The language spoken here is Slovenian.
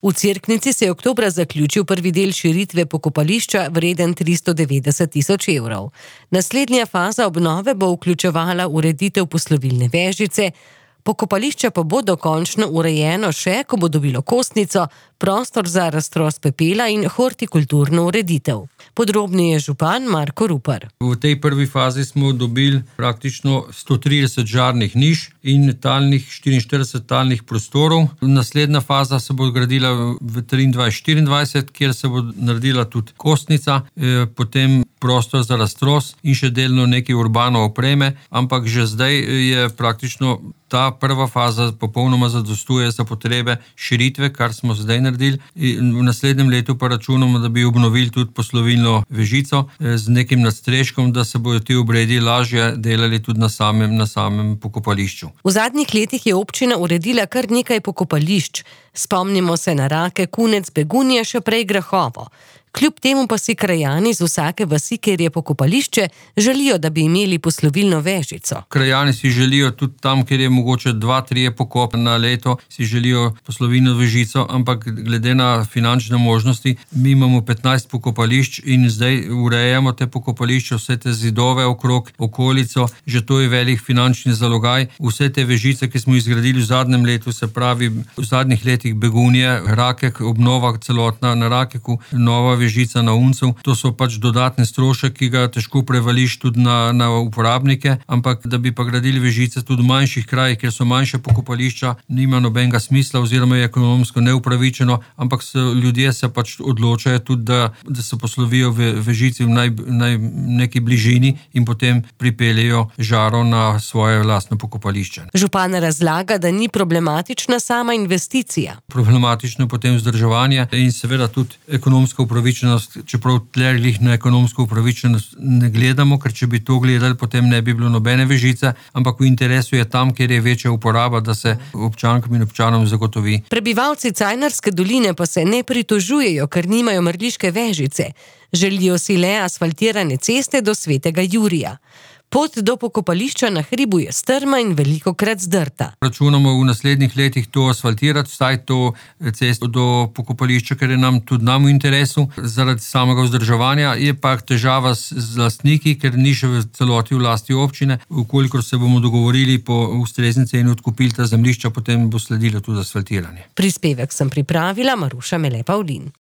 V Cerknici se je oktobra zaključil prvi del širitve pokopališča vreden 390 tisoč evrov. Naslednja faza obnove bo vključevala ureditev poslovilne vežice, pokopališče pa bo dokončno urejeno še, ko bo dobilo kostnico, prostor za raztros pepela in hortikulturno ureditev. Podrobneje župan Marko Rupar. V tej prvi fazi smo dobili praktično 130 žarnih niš in 44 talnih prostorov. Naslednja faza se bo gradila v 23-24, kjer se bo naredila tudi kostnica, potem prostor za raztros in še delno nekaj urbano opreme, ampak že zdaj je praktično ta prva faza popolnoma zadostuje za potrebe širitve, kar smo zdaj naredili. In v naslednjem letu pa računamo, da bi obnovili tudi poslovilno vežico z nekim nadstreškom, da se bodo ti obredi lažje delali tudi na samem pokopališču. V zadnjih letih je občina uredila kar nekaj pokopališč. Spomnimo se na Rake, Kunec, Begunje, še prej Grahovo. Kljub temu pa si krajani z vsake vasi, kjer je pokopališče, želijo, da bi imeli poslovilno vežico. Krajani si želijo tudi tam, kjer je mogoče 2-3 pokopa na leto, si želijo poslovilno vežico, ampak glede na finančne možnosti, mi imamo 15 pokopališč in zdaj urejamo te pokopališče, vse te zidove okrog, okolico, že to je velik finančni zalogaj. Vse te vežice, ki smo izgradili v zadnjem letu, se pravi v zadnjih letih Begunje, Rakek, obnova celotna na Rakeku, nova vežica na Uncu. To so pač dodatne strošek, ki ga težko prevališ tudi na uporabnike, ampak da bi pa gradili vežice tudi v manjših krajih, kjer so manjše pokopališča, nima nobenega smisla oziroma je ekonomsko neupravičeno, ampak ljudje se pač odločajo tudi, da se poslovijo vežici v neki bližini in potem pripeljejo žaro na svoje lastno pokopališče. Župan razlaga, da ni problematična sama investicija. Problematično je potem vzdrževanje in seveda tudi ekonomska upravičenost, čeprav tlerih na ekonomsko upravičenost ne gledamo, ker če bi to gledali, potem ne bi bilo nobene vežice, ampak v interesu je tam, kjer je večja uporaba, da se občankam in občanom zagotovi. Prebivalci Cajnarske doline pa se ne pritožujejo, ker nimajo mrliške vežice. Želijo si le asfaltirane ceste do Svetega Jurija. Pot do pokopališča na hribu je strma in velikokrat zdrta. Računamo v naslednjih letih to asfaltirati, vsaj to cesto do pokopališča, ker je tudi nam v interesu. Zaradi samega vzdrževanja je pa težava z lastniki, ker ni še v celoti v lasti občine. Vkolikor se bomo dogovorili po ustrezni ceni odkupili ta zemljišča, potem bo sledilo tudi asfaltiranje. Prispevek sem pripravila Maruša Mele Pavlin.